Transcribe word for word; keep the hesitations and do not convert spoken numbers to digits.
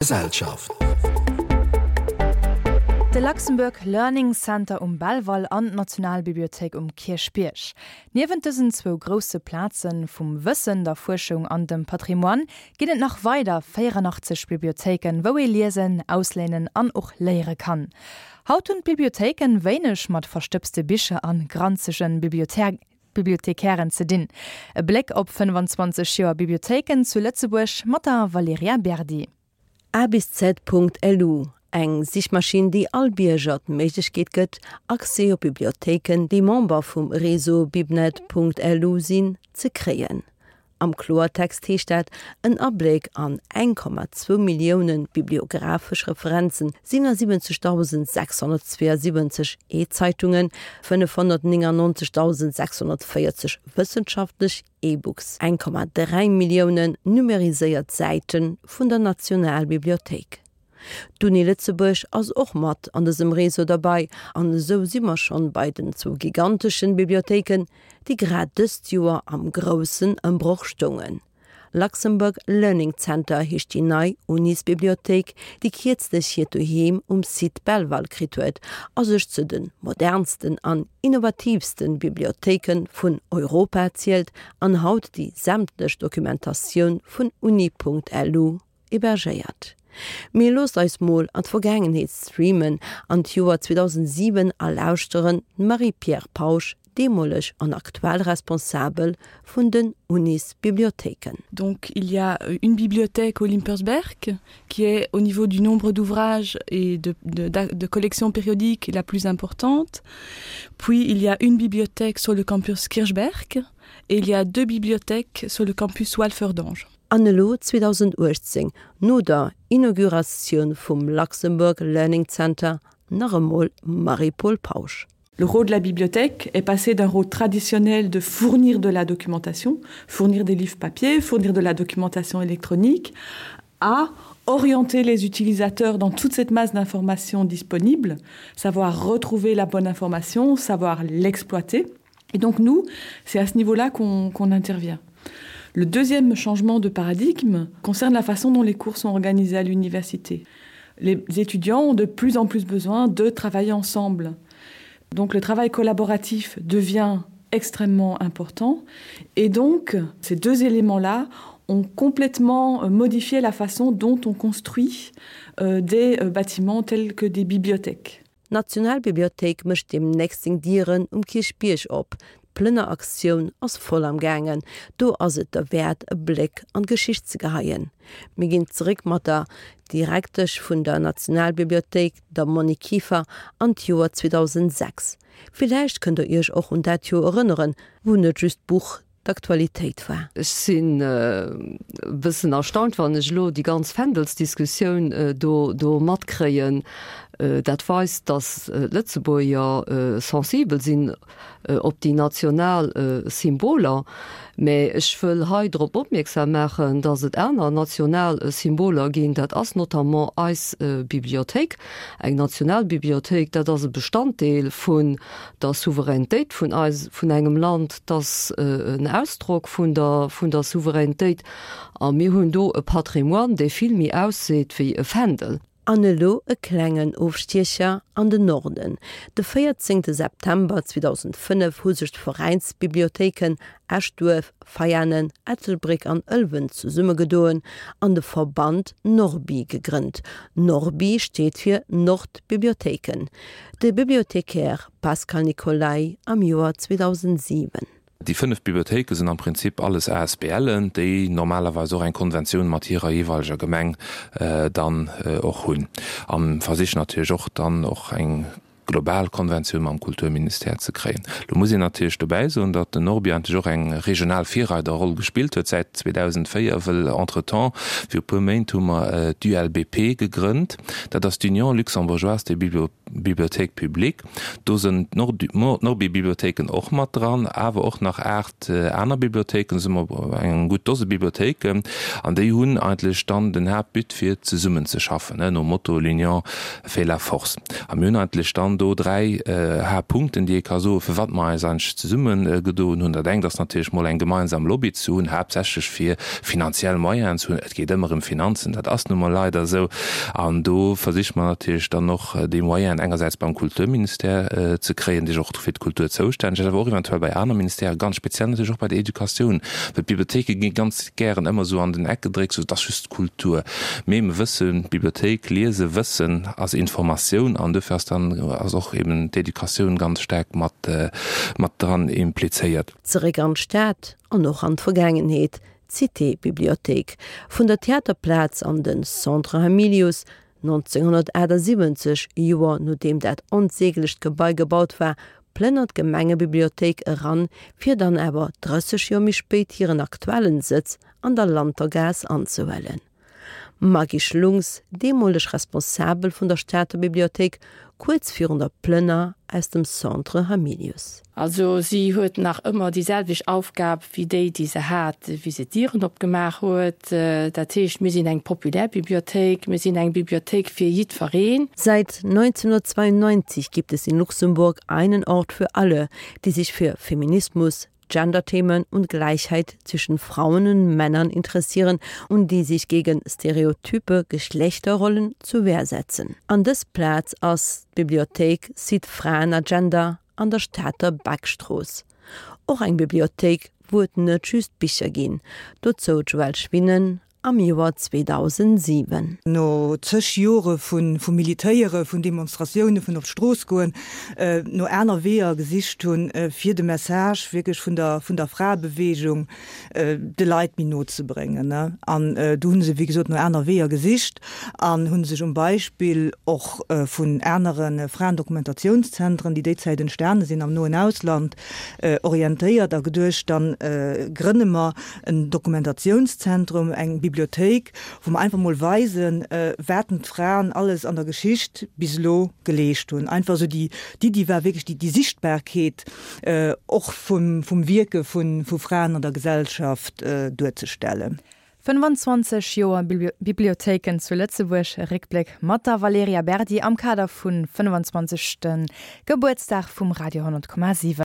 Gesellschaft. De Luxembourg Learning Center um Belval an d'Nationalbibliothéik um Kierchbierg. Niewent dësen zwou grousse Plaze vum Wëssen, der Fuerschung an dem Patrimoine ginn et nach weider véieranachtzeg Bibliothéiken, wou ee liesen, ausléinen an och léiere kann. Haut hunn d'Bibliothéiken wéineg mat verstëbste Bicher an granzege Bibliothekären ze dinn. E Bléck op fënnefanzwanzeg Joer Bibliothéiken zu Lëtzebuerg mat der Valerija Berdi. A bis Z Punkt lu, eng Sichmaschinn, déi all Bierger d'Méiglechkeet gëtt, Accès op Bibliothéiken, déi Member vum Réseau Bibnet Punkt lu sinn, ze kréien. Am Kloertext heescht dat, en Abléck an eng Komma zwou Millioune bibliographesch Referenzen, siwenundsiwwenzegdausend sechshonnertzweeënsiwwenzeg E-Zeitungen, fënnefhonnertnéngannonzegdausend sechshonnertvéierzeg wëssenschaftlech E-Books, eng Komma dräi Milliounen numeriséiert Säite vun der Nationalbibliothéik. D'Uni Lëtzebuerg ass och mat an dësem Réseau derbei an esou si mer schonn bei den zwou giganteschen Bibliothéiken, déi grad dëst Joer am groussen Ëmbroch stoungen. Luxembourg Learning Center heescht déi nei Unisbibliothéik, déi kierzlech hiert Doheem um Site Belval kritt huet a sech zu de modernsten an innovatiivsten Bibliothéike vun Europa zielt an haut déi sämtlech Dokumentatioun vun uni.lu hébergéiert. Mee loosst eis mol an d'Vergaangenheet streamen, an d'Joer zweedausendsiwen a lauschteren d'Marie-Pierre Pausch, deemoleg an aktuell Responsabel vun den Unisbibliothéiken. Donc il y a une bibliothèque au Limpersberg qui est au niveau du nombre d'ouvrages et de, de, de collections périodiques la plus importante. Puis il y a une bibliothèque sur le campus Kirchberg et il y a deux bibliothèques sur le campus Walferdange. An elo zweedausenduechtzéng, no der Inauguratioun vum Luxembourg Learning Center, nach emol Marie-Paule Pausch. Le rôle de la bibliothèque est passé d'un rôle traditionnel de fournir de la documentation, fournir des livres papier, fournir de la documentation électronique, à orienter les utilisateurs dans toute cette masse d'informations disponibles, savoir retrouver la bonne information, savoir l'exploiter. Et donc nous, c'est à ce niveau-là qu'on qu'on intervient. Le deuxième changement de paradigme concerne la façon dont les cours sont organisés à l'université. Les étudiants ont de plus en plus besoin de travailler ensemble. Donc le travail collaboratif devient extrêmement important et donc ces deux éléments-là ont complètement modifié la façon dont on construit euh, des euh, bâtiments tels que des bibliothèques. D'Nationalbibliothéik mécht deemnächst seng Dieren um Kierchbierg op. D'Plënneraktioun ass voll am gaangen. Do ass et derwäert e Bléck an d'Geschicht ze geheien. Mir ginn zeréck mat der Direktesch vun der Nationalbibliothéik, der Monique Kieffer, an d'Joer zweedausendsechs. Villäicht kënnt der iech och un dat Joer erënneren, wou net just d'Buch d'Aktualitéit war. Ech sinn e bëssen erstaunt, wann ech elo déi ganz Fändelsdiskussioun do do matkréien. Dat weist, datt d'Lëtzebuerger sensibel sinn op déi national Symboler. Mä ech wëll hei drop opmierksam maachen, datt et aner national Symboler ginn. Dat ass notamment eis Bibliothéik, eng national Bibliothéik. Dat ass e Bestanddeel vun der Souveränitéit vun eis, vun engem Land. Dat ass en Ausdrock vun der, vun der Souveränitéit. A mir hunn do e Patrimoine, dee vill méi ausseet wéi e Fändel. An elo e klengen Ofstiecher an den Norden. De véierzéngte September zweedausendfënnef hu sech d'Veräinsbibliothéiken Eschduerf, Veianen, Ettelbréck an Ëlwen zesummegedoen an de Verband Norbi gegrënnt. Norbi steet fir Nordbibliothéiken. De Bibliothécaire Pascal Nicolay am Joer zweedausendsiwen. Déi fënnef Bibliothéike sinn am Prinzip alles A S B Len, déi normalerweis och eng Konventioun mat hirer jeeweileger Gemeng dann och hunn a versichen natierlech och dann och eng global Konventioun mam Kulturministère ze kréien. Lo muss een natierlech dobäi soen, datt den Norbi eigentlech och eng regional Virreiderroll gespillt huet säit zweedausendvéier, wëll entretemps, viru puer Méint hu mer d'U L B P gegrënnt, dat ass d'Union luxembourgeoise des Bibliothèques publiques. Do sinn d'Norbi-Bibliothéiken och mat dran, awer och nach aacht aner Bibliothéiken, do si mer eng gutt Dose Bibliothéiken, an déi hunn eigentlech dann den Haaptbut fir zesummenzeschaffen, nom Motto L'union fait la force. A mir hunn eigentlech dann do dräi Haaptpunkten, déi ee ka soen, firwat mer eis eigentlech zesummegedoen hunn. Dat engt ass natierlech mol eng gemeinsam Lobby ze hunn, haaptsächlech fir finanziell Moyenen ze hunn. Et geet ëmmer ëm Finanzen, dat ass nu mol leider esou. An do versiche mer natierlech dann och déi Moyenen engersäits beim Kulturministère ze kréien, dee jo och fir d'Kultur zoustänneg ass, awer och eventuell bei aner Ministèren, ganz speziell natierlech och bei der Educatioun, well d'Bibliothéike gi ganz gären ëmmer esou an den Eck gedréckt, sou, et ass just d'Kultur. Mee mer wëssen, Bibliothéik, Liese, Wëssen ass Informatioun an dofir ass dann ass och eben d'Educatioun ganz staark mat mat dran implizéiert. Zeréck an d'Stad an och an d'Vergaangenheet, D'Cité-Bibliothéik vun der Theaterplaz an de Centre Hamilius, nonzénghunnertaachtsiwwenzeg, Joer nodeem dat onsäglecht Gebai gebaut war, plënnert d'Gemengebibliothéik eran, fir dann awer drësseg Joer méi spéit hiren aktuellen Sëtz an der Lantergaass anzehuelen. Maggy Schlungs, deemoleg Responsabel vun der Stater Bibliothéik, kuerz virun der Plënner aus dem Centre Hamilius. Also si huet nach ëmmer déi selwecht Aufgab wéi déi, déi se hat, wéi se d'Dieren opgemaach huet. Dat heescht, mir sinn eng populär Bibliothéik, mir sinn eng Bibliothéik fir jiddwereen. Seit neunzehnhundertzweiundneunzig gibt es in Luxemburg einen Ort für alle, die sich für Feminismus, Genderthemen und Gleichheit zwischen Frauen und Männern interessieren und die sich gegen stereotype Geschlechterrollen zur Wehr setzen. An dës Plaz ass d'Bibliothéik Site Fraen a Gender an der Stater Beckstrooss. Och eng Bibliothéik, wou et net just Bicher ginn. Dozou d'Joëlle Schwinnen am Joer zweedausendsiwen. No zëg Jore vu Militéiere, vun Demonstratioune, vun op d'Strooss goen, no aner Weeër gesicht hunn, fir de Message wierklech vun der, vun der Fraebeweegung de Leit méi no ze bréngen. An do hu se, wéi gesot, no aner Weeër gesicht an hu sech um Beispill och vun anere Fraendokumentationszentren, déi déi Zäit entstane sinn am noen Ausland, orientéiert a geduecht, dann grënne mer en Dokumentationszentrum, eng Bibliothéik, wou mer einfach mol weisen, wat denn d'Fraen alles an der Geschicht bis elo geleescht hunn. Einfach esou déi, d'Iddi war wierklech déi, déi Sichtbarkeet och vum, vum Wierke vu, vu Fraen an der Gesellschaft duerzestellen. fënnefanzwanzeg Joer Bibliothéiken zu Lëtzebuerg, e Réckbléck mat der Valerija Berdi am Kader vun fënnefenzwanzegste Gebuertsdag vum Radio honnert Komma siwen.